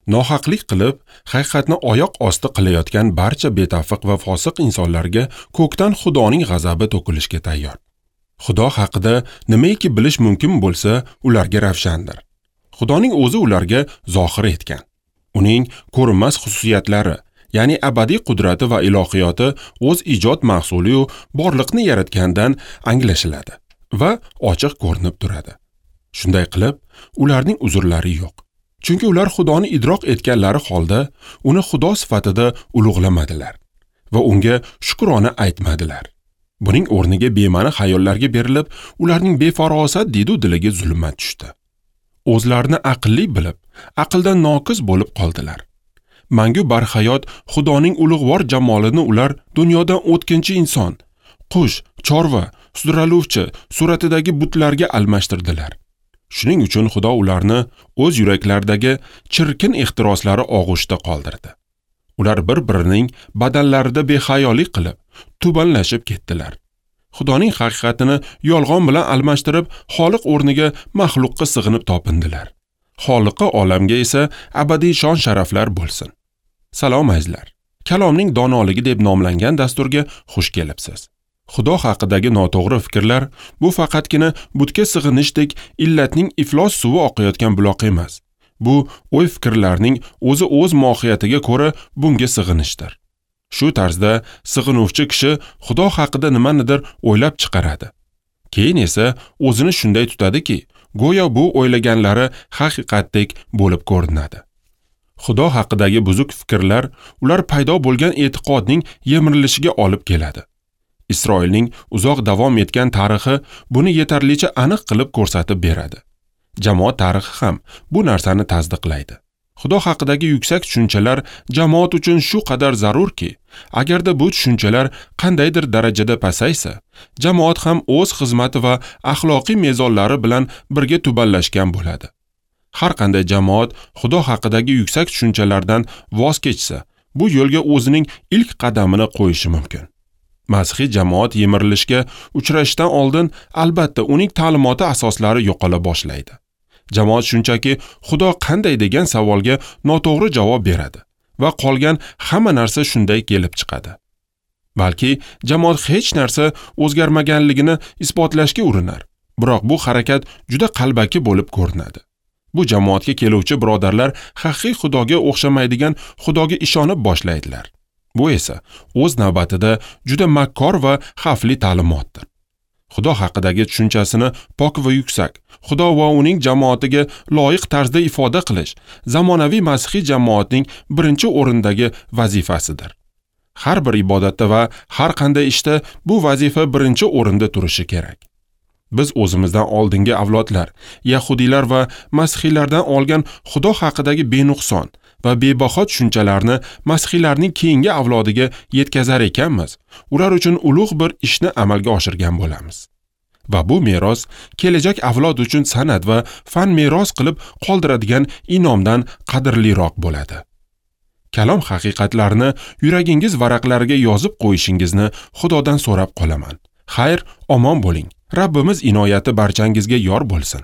Nohaqlik qilib, haqiqatni oyoq osti qilayotgan barcha betafiq va fosiq insonlarga ko'kdan Xudoning g'azabi to'kilishga tayyor. Xudo haqida nimaiki bilish mumkin bo'lsa, ularga ravshandir. Xudoning o'zi ularga zohir etgan. Uning ko'rinmas xususiyatlari, ya'ni abadiy qudrati va ilohiyoti o'z ijod mahsuli borliqni yaratgandan anglashiladi va ochiq ko'rinib turadi. Shunday qilib, ularning uzrlari yo'q. Chunki ular Xudoni idroq etganlari holda uni Xudo sifatida ulug'lamadilar va unga shukrona aytmadilar. Buning o'rniga bema'ni xayollarga berilib, ularning befarosat didu diliga zulmat tushdi. O'zlarini aqlli bilib, aqldan noqis bo'lib qoldilar. Mangu barhayot Xudoning ulug'vor jamolini ular dunyodan o'tkinchi inson, qush, chorva, sudraluvchi suratidagi butlarga almashtirdilar. Shuning uchun Xudo ularni o'z yuraklaridagi chirkin ehtiroslari og'ushida qoldirdi. Ular bir-birining badanlarida behayolik qilib, tubanlashib ketdilar. Xudoning haqiqatini yolg'on bilan almashtirib, Xoliq o'rniga maxluqqa sig'inib topindilar. Xoliqi olamga esa abadiy shon sharaflar bo'lsin. Salom azizlar. Kalomning donoligi deb nomlangan dasturga xush kelibsiz. Xudo haqidagi noto'g'ri fikrlar bu faqatgina butga sig'inishdek illatning iflos suvi oqayotgan buloq emas. Bu o'y-fikrlarning o'zi o'z mohiyatiga ko'ra bunga sig'inishdir. Shu tarzda sig'inuvchi kishi Xudo haqida nimanidir o'ylab chiqaradi. Keyin esa o'zini shunday tutadiki, go'yo bu o'ylaganlari haqiqatdek bo'lib ko'rinadi. Xudo haqidagi buzuq fikrlar ular paydo bo'lgan e'tiqodning yemirilishiga olib keladi. Isroilning uzoq davom etgan tarixi buni yetarlicha aniq qilib ko'rsatib beradi. Jamoat tarixi ham bu narsani tasdiqlaydi. Xudo haqidagi yuksak tushunchalar jamoat uchun shu qadar zarurki, agarda bu tushunchalar qandaydir darajada pasaysa, jamoat ham o'z xizmati va axloqiy mezonlari bilan birga tubanlashgan bo'ladi. Har qanday jamoat Xudo haqidagi yuksak tushunchalardan voz kechsa, bu yo'lga o'zining ilk qadamini qo'yishi mumkin. Masihiy jamoat yemirilishga uchrashdan oldin albatta uning ta'limoti asoslari yo'qola boshlaydi. Jamoat shunchaki Xudo qanday degan savolga noto'g'ri javob beradi va qolgan hamma narsa shunday kelib chiqadi. Balki jamoat hech narsa o'zgarmaganligini isbotlashga urinar, biroq bu harakat juda qalbaki bo'lib ko'rinadi. Bu jamoatga keluvchi birodarlar haqiqiy Xudoga o'xshamaydigan Xudoga ishonib boshlaydilar. Bu esa o'z navbatida juda makkor va xavfli ta'limotdir. Xudo haqidagi tushunchasini pok va yuksak, Xudo va uning jamoatiga loyiq tarzda ifoda qilish zamonaviy masihiy jamoatning birinchi o'rindagi vazifasidir. Har bir ibodatda va har qanday ishda bu vazifa birinchi o'rinda turishi kerak. Biz o'zimizdan oldingi avlodlar, yahudiylar va masihiylardan olgan Xudo haqidagi benuqson va bebaho tushunchalarni masihiylarning keyingi avlodiga yetkazar ekanmiz, ular uchun ulug' bir ishni amalga oshirgan bo'lamiz. Va bu meros kelajak avlod uchun san'at va fan meros qilib qoldiradigan inomdan qadrliroq bo'ladi. Kalom haqiqatlarini yuragingiz varaqlariga yozib qo'yishingizni Xudodan so'rab qolaman. Xayr, omon bo'ling. Rabbimiz inoyati barchangizga yor bo'lsin.